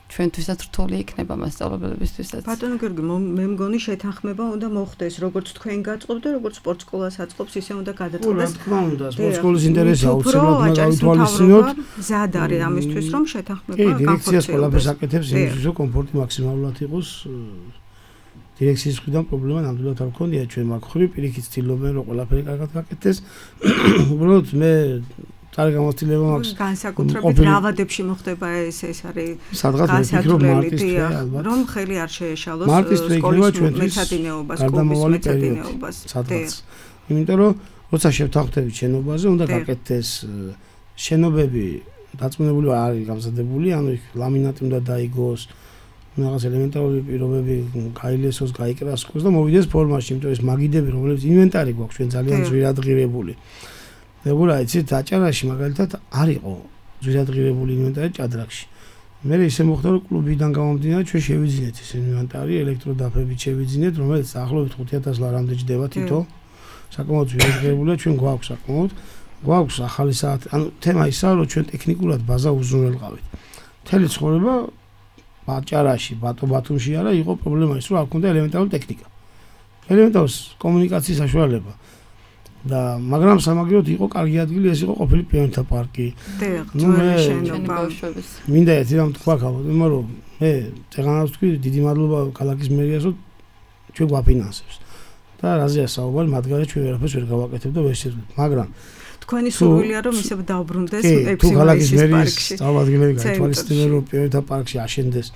ჩვენთვისაც რთული იქნება მასწავლებლებისთვისაც. ბატონო გიორგი, მე მგონი შეთანხმება უნდა მოხდეს, როგორც თქვენ გაწყობთ და როგორც სპორტ სკოლას აწყობს, ისე უნდა გადაწყვეტოს. რა თქმა უნდა, სპორტ სკოლის ინტერესია აუცილებლად უნდა გავითვალისწინოთ. მზად არის ამისთვის, რომ შეთანხმება განხორციელდეს. კი, დირექციას ყველაფერს აკეთებს იმისთვის, რომ კომფორტი მაქსიმალურად იყოს. დირექციის მხრიდან პრობლემა ნამდვილად არ მქონია, ჩვენ მაგ ხრივ პირიქით ვცდილობენ, რომ ყველაფერი კარგად გაკეთდეს. უბრალოდ მე წარ გამოცდილება მაქვს განსაკუთრებით რავადებში მოხდება ეს ეს არის სადღაც ვიფიქრობ მარტის თვე ალბათ რომ ხელი არ შეეშალოს სკოლის მეცადინეობას კლუბის მეცადინეობას სადღაც იმიტომ რომ როცა შევთანხმდებით შენობაზე უნდა გაკეთდეს შენობები დაწმუნებული არის გამზადებული ანუ იქ ლამინატი უნდა დაიგოს რაღაც ელემენტარული პირობები გაილესოს გაიკრასკოს და მოვიდეს ფორმაში იმიტომ ეს მაგიდები რომლებიც ინვენტარი გვაქვს ჩვენ ძალიან ძვირადღირებული როგორ აიცით აჭარაში მაგალითად არ იყო ძვირადღირებული ინვენტარი ჭადრაკში. მე ისე მოხდა რომ კლუბიდან გამომდინარე ჩვენ შევიძინეთ ეს ინვენტარი ელექტროდაფებით შევიძინეთ რომელიც ახლობით ხუთი ათას ლარამდე ჯდება თითო. საკმაოდ ძვირადღირებულია ჩვენ გვაქვს საკმაოდ გვაქვს ახალი საათი. ანუ თემა ისაა რომ ჩვენ ტექნიკურად ბაზა უზრუნველყავით. მთელი ცხოვრება აჭარაში ბატო ბათუმში არა იყო პრობლემა ის რომ არ ქონდა ელემენტარული ტექნიკა. ელემენტარული კომუნიკაციის საშუალება. და მაგრამ სამაგიეროდ იყო კარგი ადგილი ეს იყო ყოფილი პიონერთა პარკი. ნუ მე მინდა ერთი რამ თქვა ქალბატონო რომ მე წეგანავს თქვი დიდი მადლობა ქალაქის მერიას რომ ჩვენ გვაფინანსებს. და რაზეა საუბარი მათ გარეთ ჩვენ ვერაფერს ვერ გავაკეთებ და ვერ შეძლებ. მაგრამ თქვენი სურვილია რომ ისე დაუბრუნდეს ექვსი მაისის პარკში. წარმოგიდგენთ გაითვალისწინებენ რომ პიონერთა პარკში აშენდეს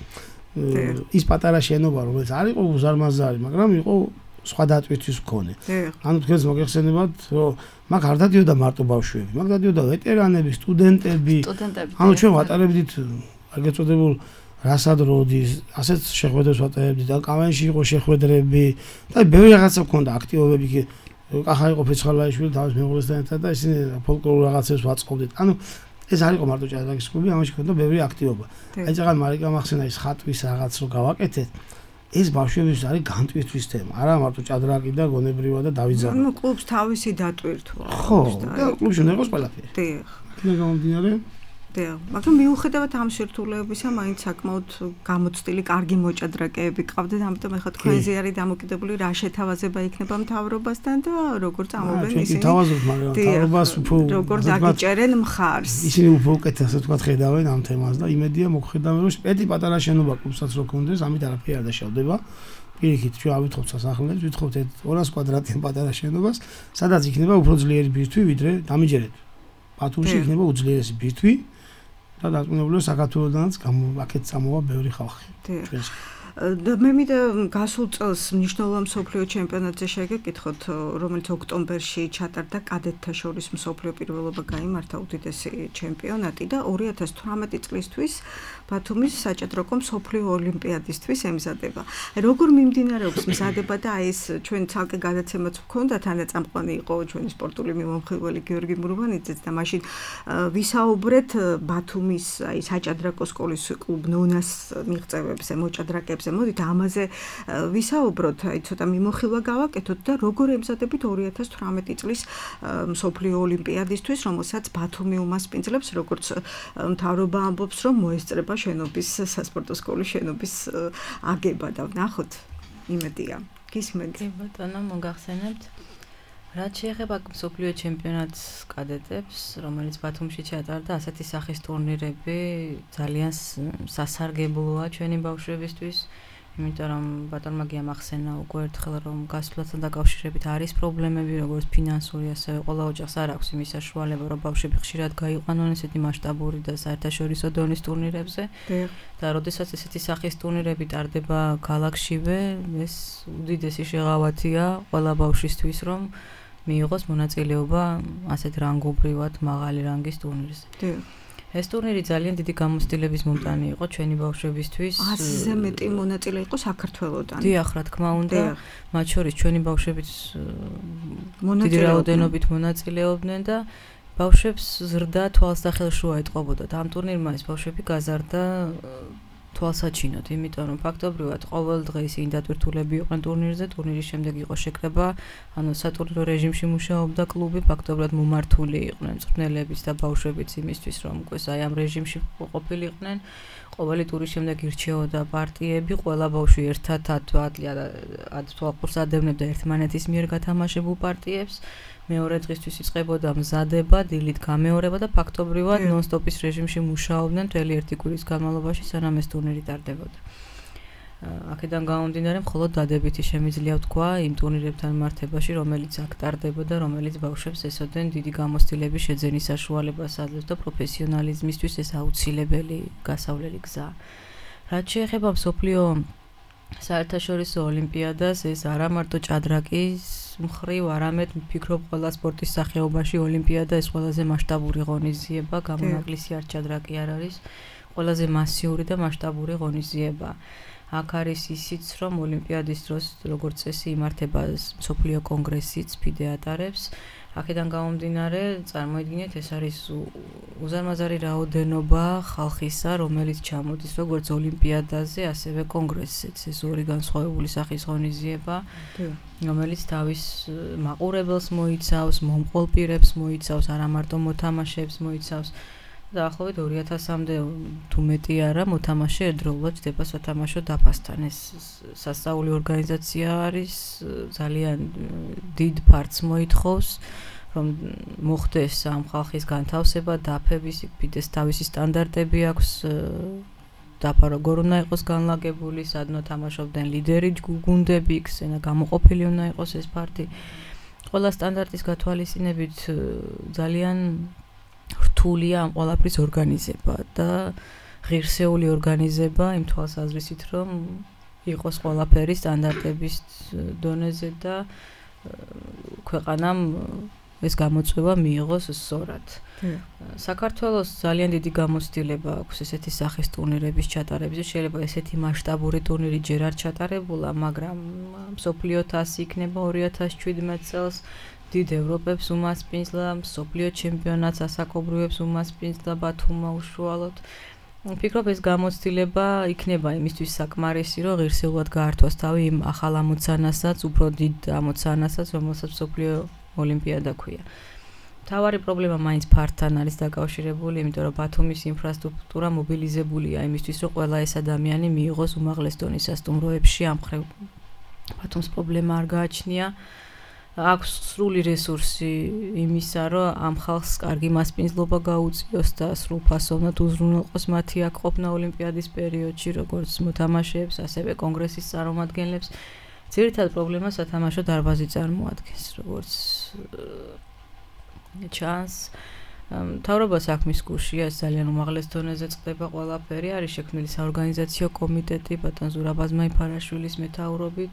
ის პატარა შენობა რომელიც არ იყო უზარმაზარი მაგრამ იყო სხვა დატვირთვის მქონე. ანუ თქვენს მოგეხსენებათ, რომ მაგ არ დადიოდა მარტო ბავშვები, მაგ დადიოდა ვეტერანები, სტუდენტები. ანუ ჩვენ ვატარებდით აგეწოდებულ რასად როდის, ასეთ შეხვედრებს ვატარებდი და კავენში იყო შეხვედრები და ბევრი რაღაცა მქონდა აქტივობები კი კახა იყო ფეცხალაიშვილი თავის მეუღლესთან ერთად და ისინი ფოლკლორულ რაღაცებს ვაწყობდით. ანუ ეს არ იყო მარტო ჭადრაკის კლუბი, ამაში ქონდა ბევრი აქტივობა. აი წაღან მარიკა მახსენა ის ხატვის რაღაც რო გავაკეთეთ. ეს ბავშვების არის განტვირთვის თემა, არა მარტო ჭადრაკი და გონებრივა და დავიძაბა. ანუ კლუბს თავისი დატვირთვა. ხო, და კლუბში უნდა იყოს ყველაფერი. დიახ. იქნება გამომდინარე დიახ, მაგრამ მიუხედავად ამ სირთულეებისა, მაინც საკმაოდ გამოცდილი, კარგი მოჭადრაკეები ყავდათ, ამიტომ ეხლა თქვენზე არის დამოკიდებული რა შეთავაზება იქნება მთავრობასთან და როგორ წამოვიდნენ ისინი. თავაზობთ, მაგრამ მთავრობას უფრო როგორ დაგიჭერენ მხარს. ისინი უფრო უკეთ ასე თქვა ხედავენ ამ თემას და იმედია მოგხედავენ, რომ პეტი პატარა შენობა კლუბსაც რო კონდეს, ამით არაფერი არ დაშავდება. პირიქით, ჩვენ ავითხოვთ სასახლეებს, ვითხოვთ ორასი კვადრატიან პატარა შენობას, სადაც იქნება უფრო ძლიერი ბირთვი, ვიდრე დამიჯერეთ. ბათუმში იქნება უძლიერესი ბირთვი. და დაწუნებული საქართველოსდანაც აქეთ წამოვა ბევრი ხალხი. ჩვენს და მე მინდა გასულ წელს მნიშვნელოვან მსოფლიო ჩემპიონატზე შეგეკითხოთ, რომელიც ოქტომბერში ჩატარდა კადეტთა შორის მსოფლიო პირველობა გაიმართა უდიდესი ჩემპიონატი და ორი ათას თვრამეტი წლისთვის ბათუმის საჭადრაკო მსოფლიო ოლიმპიადისთვის ემზადება. როგორ მიმდინარეობს მზადება და აი ეს ჩვენ ცალკე გადაცემაც ვქონდა, თანაწამყვანი იყო ჩვენი სპორტული მიმომხილველი გიორგი მურვანიძეც და მაშინ ვისაუბრეთ ბათუმის აი საჭადრაკო სკოლის კლუბ ნონას მიღწევებზე, მოჭადრაკეებზე. მოდით ამაზე ვისაუბროთ, აი ცოტა მიმოხილვა გავაკეთოთ და როგორ ემზადებით ორი ათას თვრამეტი წლის მსოფლიო ოლიმპიადისთვის, რომელსაც ბათუმი უმასპინძლებს, როგორც მთავრობა ამბობს, რომ მოესწრება შენობის სასპორტო სკოლის შენობის აგება და ვნახოთ იმედია. გისმენთ? კი ბატონო, მოგახსენებთ. რაც შეეხება მსოფლიო ჩემპიონატს კადეტებს, რომელიც ბათუმში ჩატარდა, ასეთი სახის ტურნირები ძალიან სასარგებლოა ჩვენი ბავშვებისთვის, იმიტომ რომ ბატონმა გიამახსენა უკვე ერთხელ რომ გასვლასთან დაკავშირებით არის პრობლემები, როგორც ფინანსური, ასევე ყველა ოჯახს არ აქვს იმის საშუალება, რომ ბავშვები ხშირად გაიყვანონ ესეთი მასშტაბური და საერთაშორისო დონის ტურნირებზე. და როდესაც ესეთი სახის ტურნირები ტარდება ქალაქშივე, ეს უდიდესი შეღავათია ყველა ბავშვისთვის, რომ მიიღოს მონაწილეობა ასეთ რანგობრივად მაღალი რანგის ტურნირზე. ეს ტურნირი ძალიან დიდი გამოცდილების მომტანი იყო ჩვენი ბავშვებისთვის. ათზე მეტი მონაწილე იყო საქართველოდან. დიახ, რა თქმა უნდა, მათ შორის ჩვენი ბავშვებიც დიდი რაოდენობით მონაწილეობდნენ და ბავშვებს ზრდა თვალს და ხელშუა ეტყობოდათ. ამ ტურნირმა ეს ბავშვები გაზარდა თვალსაჩინოდ, იმიტომ რომ ფაქტობრივად ყოველ დღე ისინი დატვირთულები იყვნენ ტურნირზე, ტურნირის შემდეგ იყო შეკრება, ანუ სატურნირო რეჟიმში მუშაობდა კლუბი, ფაქტობრივად მომართული იყვნენ მწვრთნელებიც და ბავშვებიც იმისთვის, რომ უკვე აი ამ რეჟიმში ყოფილიყვნენ. ყოველი ტურის შემდეგ ირჩეოდა პარტიები, ყველა ბავშვი ერთად ათ თვალყურს ადევნებდა ერთმანეთის მიერ გათამაშებულ პარტიებს. მეორე დღისთვის იწყებოდა მზადება, დილით გამეორება და ფაქტობრივად ნონ-სტოპის რეჟიმში მუშაობდნენ მთელი ერთი კვირის განმავლობაში, სანამ ეს ტურნირი ტარდებოდა. აქედან გამომდინარე, მხოლოდ დადებითი შემიძლია ვთქვა იმ ტურნირებთან მართებაში, რომელიც აქ ტარდებოდა, რომელიც ბავშვებს ესოდენ დიდი გამოცდილების შეძენის საშუალებას აძლევს და პროფესიონალიზმისთვის ეს აუცილებელი გასავლელი გზაა. რაც შეეხება მსოფლიო საერთაშორისო ოლიმპიადას, ეს არა მარტო ჭადრაკის მხრივ, არამედ ვფიქრობ ყველა სპორტის სახეობაში ოლიმპიადა ეს ყველაზე მასშტაბური ღონისძიება, გამონაკლისი არ ჭადრაკი არ არის, ყველაზე მასიური და მასშტაბური ღონისძიება. აქ არის ისიც, რომ ოლიმპიადის დროს როგორც წესი იმართება მსოფლიო კონგრესიც, ფიდე ატარებს. აქედან გამომდინარე, წარმოიდგინეთ, ეს არის უზარმაზარი რაოდენობა ხალხისა, რომელიც ჩამოდის როგორც ოლიმპიადაზე, ასევე კონგრესზეც. ეს ორი განსხვავებული სახის ღონისძიება, რომელიც თავის მაყურებელს მოიცავს, მომყოლ პირებს მოიცავს, არა მარტო მოთამაშეებს მოიცავს. დაახლოებით ორი ათასამდე თუ მეტი არა მოთამაშე ერთდროულად ჯდება სათამაშო დაფასთან. ეს სასწაული ორგანიზაცია არის, ძალიან დიდ ფართს მოითხოვს, რომ მოხდეს ამ ხალხის განთავსება, დაფების, ფიდეს თავისი სტანდარტები აქვს, დაფა როგორ უნდა იყოს განლაგებული, სადნო თამაშობდნენ ლიდერი გუნდები, ხსენა გამოყოფილი უნდა იყოს ეს ფართი. ყველა სტანდარტის გათვალისწინებით ძალიან რთულია ამ ყველაფრის ორგანიზება და ღირსეული ორგანიზება იმ თვალსაზრისით, რომ იყოს ყველაფერი სტანდარტების დონეზე და ქვეყანამ ეს გამოწვევა მიიღოს სწორად. საქართველოს ძალიან დიდი გამოცდილება აქვს ესეთი სახის ტურნირების ჩატარების. შეიძლება ესეთი მასშტაბური ტურნირი ჯერ არ ჩატარებულა, მაგრამ მსოფლიო თასი იქნება ორი ათას შვიდმეტ წელს. დიდ ევროპებს უმასპინძლა, მსოფლიო ჩემპიონატს ასაკობრივებს უმასპინძლა ბათუმმა უშუალოდ. ვფიქრობ ეს გამოცდილება იქნება იმისთვის საკმარისი, რომ ღირსეულად გაართვას თავი იმ ახალ ამოცანასაც, უფრო დიდ ამოცანასაც, რომელსაც მსოფლიო ოლიმპიადა ქვია. თავარი პრობლემა მაინც ფართთან არის დაკავშირებული, იმიტომ რომ ბათუმის ინფრასტრუქტურა მობილიზებულია იმისთვის, რომ ყველა ეს ადამიანი მიიღოს უმაღლეს დონის სასტუმროებში. ამ მხრივ ბათუმს პრობლემა არ გააჩნია. აქვს სრული რესურსი იმისა, რომ ამ ხალხს კარგი მასპინძლობა გაუწიოს და სრულფასოვნად უზრუნველყოს მათი აქ ყოფნა ოლიმპიადის პერიოდში, როგორც მოთამაშეებს, ასევე კონგრესის წარმომადგენლებს. ძირითად პრობლემას სათამაშო დარბაზი წარმოადგენს, როგორც ჩანს. მთავრობა საქმის გუშია, ეს ძალიან უმაღლეს დონეზე წყდება ყველაფერი, არის შექმნილი საორგანიზაციო კომიტეტი ბატონ ზურაბ აზმაიფარაშვილის მეთაურობით.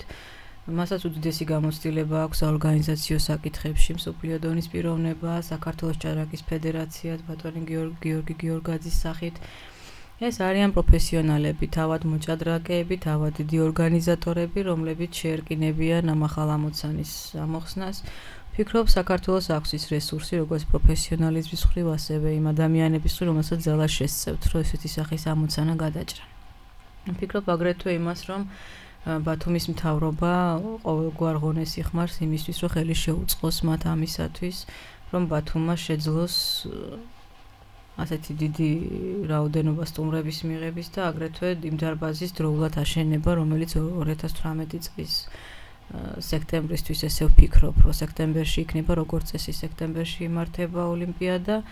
მასაც უდიდესი გამოცდილება აქვს საორგანიზაციო საკითხებში, მსოფლიო დონის პიროვნება, საქართველოს ჭადრაკის ფედერაციას ბატონი გიორგი გიორგაძის სახით. ეს არიან პროფესიონალები, თავად მოჭადრაკეები, თავად დიდი ორგანიზატორები, რომლებიც შეერკინებიან ამ ახალ ამოცანის ამოხსნას. ვფიქრობ, საქართველოს აქვს ის რესურსი, როგორც პროფესიონალიზმის მხრივ, ასევე იმ ადამიანების მხრივ, რომელსაც ძალა შესწევთ, რომ ესეთი სახის ამოცანა გადაჭრან. ვფიქრობ აგრეთვე იმას, რომ ბათუმის მთავრობა ყოველგვარ ღონეს იხმარს იმისთვის, რომ ხელი შეუწყოს მათ ამისათვის, რომ ბათუმმა შეძლოს ასეთი დიდი რაოდენობა სტუმრების მიღების და აგრეთვე იმ დარბაზის დროულად აშენება, რომელიც ორი ათას თვრამეტი წლის სექტემბრისთვის ესე ვფიქრობ, რომ სექტემბერში იქნება როგორც წესი სექტემბერში იმართება ოლიმპიადა,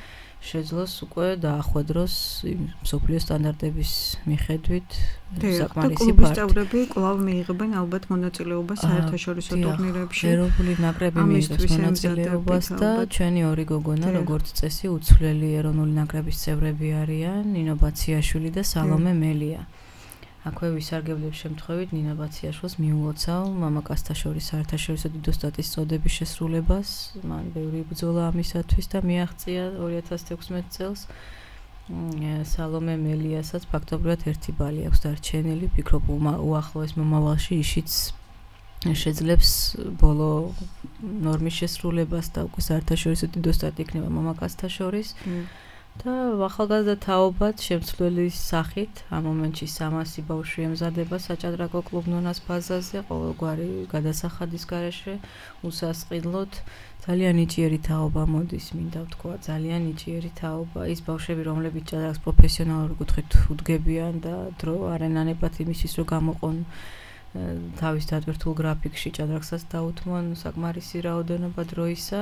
შეძლოს უკვე დაახვედროს მსოფლიო სტანდარტების მიხედვით საკმარისი პარტი. და წევრები კვლავ მიიღებენ ალბათ მონაწილეობას საერთაშორისო ტურნირებში. ეროვნული ნაკრები მიიღებს მონაწილეობას და ჩვენი ორი გოგონა, როგორც წესი, უცვლელი ეროვნული ნაკრების წევრები არიან, ნინო ბაციაშვილი და სალომე მელია. აქვე ვისარგებლებ შემთხვევით ნინა ბაციაშვილს მიულოცავ მამაკაცთა-შორის საერთაშორისო დიდოსტატის წოდების შესრულებას. მან ბევრი ბრძოლა ამისათვის და მიაღწია ორი ათას თექვსმეტ წელს. სალომე მელიასაც ფაქტობრივად ერთი ბალი აქვს დარჩენილი. ვფიქრობ, უახლოეს მომავალში ისიც შეძლებს ბოლო ნორმის შესრულებას და უკვე საერთაშორისო დიდოსტატი იქნება მამაკაცთა შორის. და ახალგაზრდა თაობად შემცვლელის სახით ამ მომენტში სამასი ბავშვი ემზადება საჭადრაკო კლუბ ნონას ბაზაზე, ყოველგვარი გადასახადის გარეშე უსასყიდლოდ. ძალიან ნიჭიერი თაობა მოდის, მინდა ვთქვა, ძალიან ნიჭიერი თაობა. ის ბავშვები, რომლებიც ჭადრაკს პროფესიონალურ კუთხით უდგებიან და დრო არ ენანებათ იმისთვის, რომ გამოყონ თავის დატვირთულ გრაფიკში ჭადრაკსაც დაუთმონ საკმარისი რაოდენობა დროისა.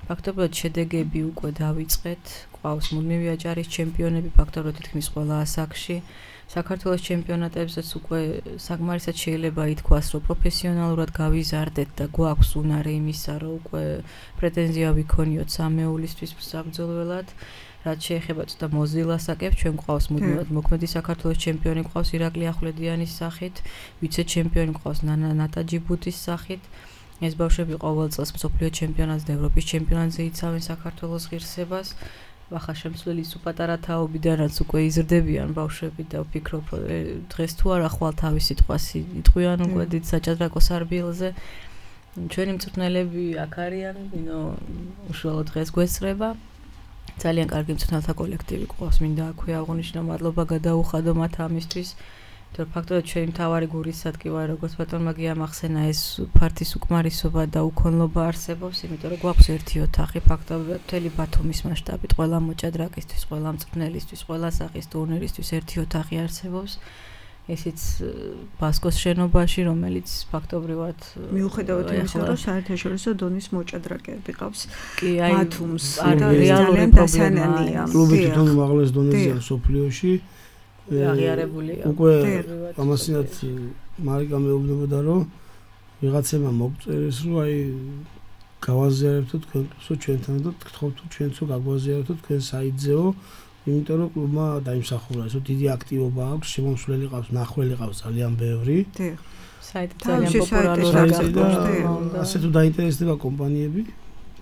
ფაქტობრივად შედეგები უკვე დავიწყეთ. ყავს მუდმივი აჭარის ჩემპიონები ფაქტობრივად თითქმის ყველა ასაკში. საქართველოს ჩემპიონატებზეც უკვე საკმარისად შეიძლება ითქვას, რომ პროფესიონალურად გავიზარდეთ და გვაქვს უნარი იმისა, რომ უკვე პრეტენზია ვიქონიოთ სამეულისთვის საბრძოლველად. რაც შეეხება ცოტა მოზრდილ ასაკებს, ჩვენ გვყავს მუდმივად მოქმედი საქართველოს ჩემპიონი გვყავს ირაკლი ახვლედიანის სახით, ვიცე ჩემპიონი გვყავს ნანა ნატაჯიბუტის სახით. ეს ბავშვები ყოველ წელს მსოფლიო ჩემპიონატს და ევროპის ჩემპიონატზე იცავენ საქართველოს ღირსებას. ახლა შემცვლელი სუპატარა თაობიდანაც უკვე იზრდებიან ბავშვები და ვფიქრობ, რომ დღეს თუ არა ხვალ თავის სიტყვას იტყვიან უკვე დიდ საჭადრაკო სარბიელზე. ჩვენი მწვრთნელები აქ არიან, ვინო უშუალოდ დღეს გვესწრება. ძალიან კარგი მწვრთნელთა კოლექტივი გვყავს, მინდა აქვე აღვნიშნო, მადლობა გადაუხადო მათ ამისთვის. თორე ფაქტობრივად ჩვენი მთავარი გულისადკი ვარ, როგორც ბატონმა გიამახსენა, ეს ფართის უკმარისობა და უქონლობა არსებობს, იმიტომ რომ გვაქვს ერთი ოთახი, ფაქტობრივად მთელი ბათუმის მასშტაბით, ყველა მოჭადრაკისთვის, ყველა მწვრთნელისთვის, ყველა სახის ტურნირისთვის ერთი ოთახი არსებობს. ესეც ბასკოს შენობაში, რომელიც ფაქტობრივად მიუხედავად იმისა, რომ საერთაშორისო დონის მოჭადრაკეები ყავს ბათუმს, რეალური პრობლემაა. კლუბი თვითონ უმაღლეს დონეზეა მსოფლიოში. აღიარებულია. უკვე ამასინათ მარიკა მეუბნებოდა, რომ ვიღაცებმა მოგწერეს, რომ აი გავაზიარებთ თქვენ კლუბსო ჩვენთან და გთხოვთ ჩვენც რომ გაგვაზიარებთ თქვენ საიტზეო, იმიტომ რომ კლუბმა დაიმსახურა, ესო დიდი აქტივობა აქვს, შემომსვლელი ყავს, ნახველი ყავს ძალიან ბევრი. საიტი ძალიან პოპულარულია. ასე თუ დაინტერესდება კომპანიები,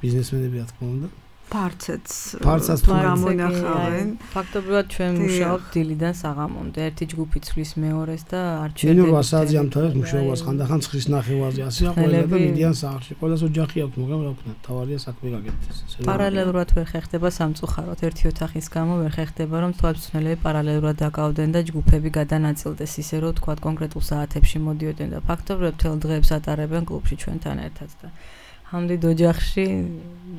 ბიზნესმენები რა თქმა უნდა. ფარცაც ფარცაც თუ გამონახავენ. ფაქტობრივად ჩვენ მუშაობთ დილიდან საღამომდე, ერთი ჯგუფი ცვლის მეორეს და არჩევდებით. ნუ რვა საათზე ამთავრებს მუშაობას, ხანდახან ცხრის ნახევარზე ასეა ყველა და მიდიან სახლში. ყველას ოჯახი აქვს, მაგრამ რა ვქნა, თავარია საქმე გაკეთდეს. პარალელურად ვერ ხერხდება სამწუხაროდ, ერთი ოთახის გამო ვერ ხერხდება, რომ თვალწინელები პარალელურად დაკავდნენ და ჯგუფები გადანაწილდეს, ისე რომ თქვა კონკრეტულ საათებში მოდიოდნენ და ფაქტობრივად მთელ დღეებს ატარებენ კლუბში ჩვენთან ერთად და ამდიდ ოჯახში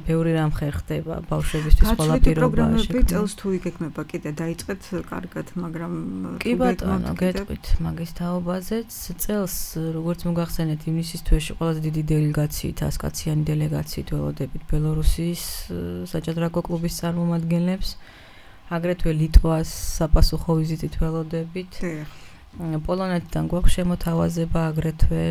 ბევრი რამ ხერხდება ბავშვებისთვის ყველა პირობა პროგრამები წელს თუ იგეგმება კიდე დაიწყეთ კარგად, მაგრამ კი ბატონო, გეტყვით მაგის თაობაზეც წელს როგორც მოგახსენეთ ივნისის თვეში ყველაზე დიდი დელეგაციით, ასკაციანი დელეგაციით ველოდებით ბელორუსიის საჭადრაკო კლუბის წარმომადგენლებს, აგრეთვე ლიტვას საპასუხო ვიზიტით ველოდებით. პოლონეთიდან გვაქვს შემოთავაზება, აგრეთვე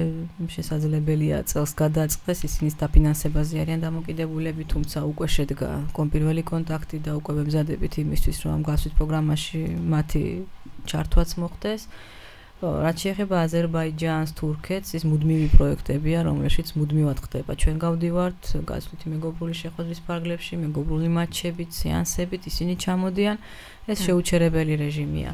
შესაძლებელია წელს გადაწყდეს, ისინი დაფინანსებაზე არიან დამოკიდებულები, თუმცა უკვე შედგა კონპირველი კონტაქტი და უკვე ვემზადებით იმისთვის, რომ ამ გასვით პროგრამაში მათი ჩართვაც მოხდეს. რაც შეეხება აზერბაიჯანს, თურქეთს, ის მუდმივი პროექტებია, რომელშიც მუდმივად ხდება. ჩვენ გავდივართ გასვლითი მეგობრული შეხვედრის ფარგლებში, მეგობრული მატჩებით, სეანსებით, ისინი ჩამოდიან. ეს შეუჩერებელი რეჟიმია.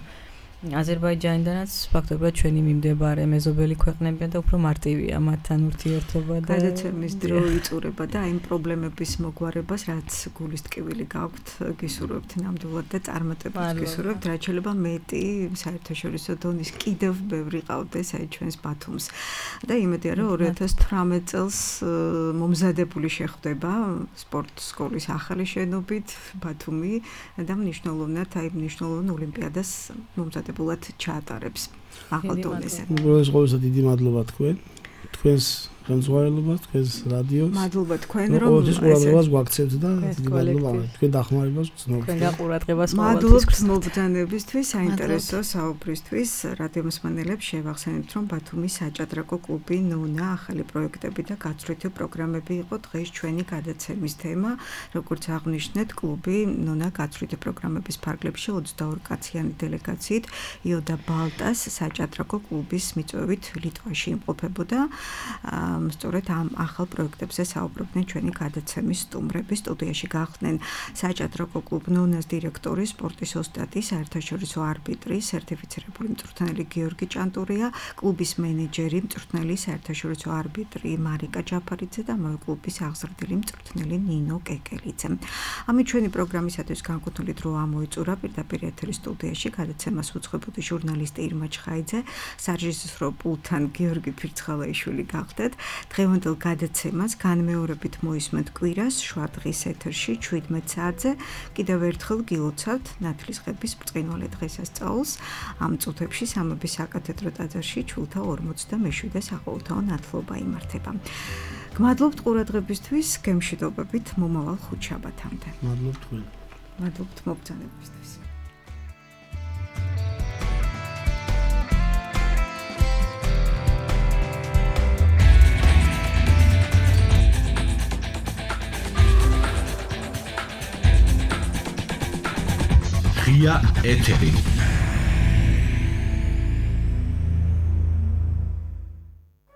აზერბაიჯანიდანაც ფაქტობრივად ჩვენი მიმდებარე მეზობელი ქვეყნებია და უფრო მარტივია მათთან ურთიერთობა და გადაცემის დრო იწურება და აი პრობლემების მოგვარებას რაც გულის ტკივილი გაქვთ გისურვებთ ნამდვილად და წარმატებას გისურვებთ რაც შეიძლება მეტი საერთაშორისო დონის კიდევ ბევრი ყავდეს აი ჩვენს ბათუმს და იმედია რომ ორი ათას თვრამეტ წელს მომზადებული შეხვდება სპორტ სკოლის ახალი შენობით ბათუმი და მნიშვნელოვნად აი მნიშვნელოვან ოლიმპიადას მომზადებული ბულად ჩაატარებს ახალ დონეზე. უბრალოდ ყოველსა დიდი მადლობა თქვენ. თქვენს განზღვარებლობას, თქვენს რადიოს. მადლობა თქვენ რომ ყოველთვის ყურადღებას გვაქცევთ და დიდი მადლობა თქვენ დახმარებას გრძნობთ. თქვენ გაყურადღებას მადლობთ მობრძანებისთვის, საინტერესო საუბრისთვის. რადიო მსმენელებს შევახსენებთ, რომ ბათუმის საჭადრაკო კლუბი ნონა ახალი პროექტები და გაცვლითი პროგრამები იყო დღეს ჩვენი გადაცემის თემა. როგორც აღნიშნეთ, კლუბი ნონა გაცვლითი პროგრამების ფარგლებში ოცდაორი კაციანი დელეგაციით იოდა ბალტას საჭადრაკო კლუბის მიწვევით ლიტვაში იმყოფებოდა. სწორედ ამ ახალ პროექტებზე საუბრობდნენ ჩვენი გადაცემის სტუმრები. სტუდიაში გახდნენ საჭადრაკო კლუბ ნონას დირექტორი, სპორტის ოსტატი, საერთაშორისო არბიტრი, სერტიფიცირებული მწვრთნელი გიორგი ჭანტურია, კლუბის მენეჯერი, მწვრთნელი, საერთაშორისო არბიტრი მარიკა ჯაფარიძე და ამავე კლუბის აღზრდილი მწვრთნელი ნინო კეკელიძე. ამით ჩვენი პროგრამისათვის განკუთვნილი დრო ამოიწურა. პირდაპირ ეთერის სტუდიაში გადაცემას უძღვებოდი ჟურნალისტი ირმა ჩხაიძე, სარეჟისორო პულტთან გიორგი ფირცხალაიშვილი გახდეთ. დღევანდელ გადაცემას განმეორებით მოისმენთ კვირას შუა დღის ეთერში შვიდმეტ საათზე. კიდევ ერთხელ გილოცავთ ნათლისღების ბრწყინვალე დღესასწაულს. ამ წუთებში სამების საკათედრო ტაძარში ჩულთა ორმოცდამეშვიდე საყოველთაო ნათლობა იმართება. გმადლობთ ყურადღებისთვის, გემშვიდობებით მომავალ ხუთშაბათამდე. მადლობთ თქვენ. მადლობთ მობრძანებისთვის. ღია ეთერი